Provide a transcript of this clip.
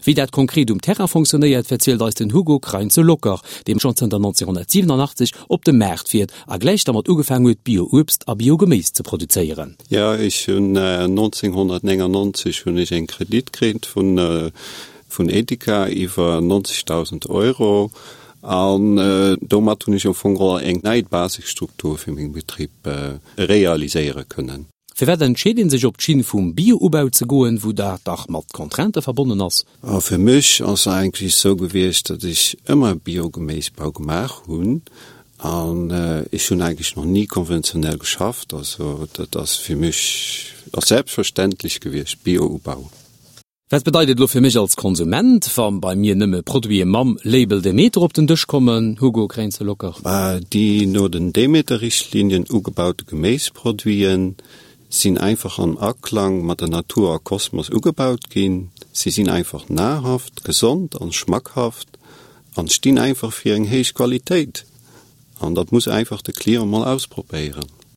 Wéi dat konkret um Terrain fonctionnéiert, verzielt eis den Hugo Kreinze-Locker, dee schonn zënter 1987 op de Maart fiert a gläich dermat ugefaang huet, Bio-Uebst a Bio-Geméis ze produzéieren. Jo, ech hunn 1999 hunn ech eng Kredit kritt vun vun Edeka iwwer 90.000 Euro an domat hunn ech am Fong geholl eng nei Basisstruktur fir meng Betrib realiséiere kënnen. Firwat entscheet ee sech op d'Schinn vum Bio-Ubau ze goen, wou dat dach mat Contraintë verbonnen ass? A fir mech ass eigentlech esou gewiescht, datt ech ëmmer Bio-Geméisbau gemaach hunn an ech hunn eigentlech nach ni konventionell geschafft. Also dat ass fir mech ass selbstverständlech gewiescht, Bio-Ubau. Wat bedeit et elo fir mech als Konsument, wa bei mir nëmme Produite mam Label Demeter op den Dësch kommen? Hugo Kränze-Locker. Déi no den Demeter-Richtlinien ugebaute Geméisproduiten sinn einfach am Aklang mat der Natur a Kosmos ugebaut ginn. Si sinn einfach nahrhaft, gesond an schmackhaft an stinn einfach fir eng héich Qualitéit. An dat muss einfach de Client mol ausprobéieren.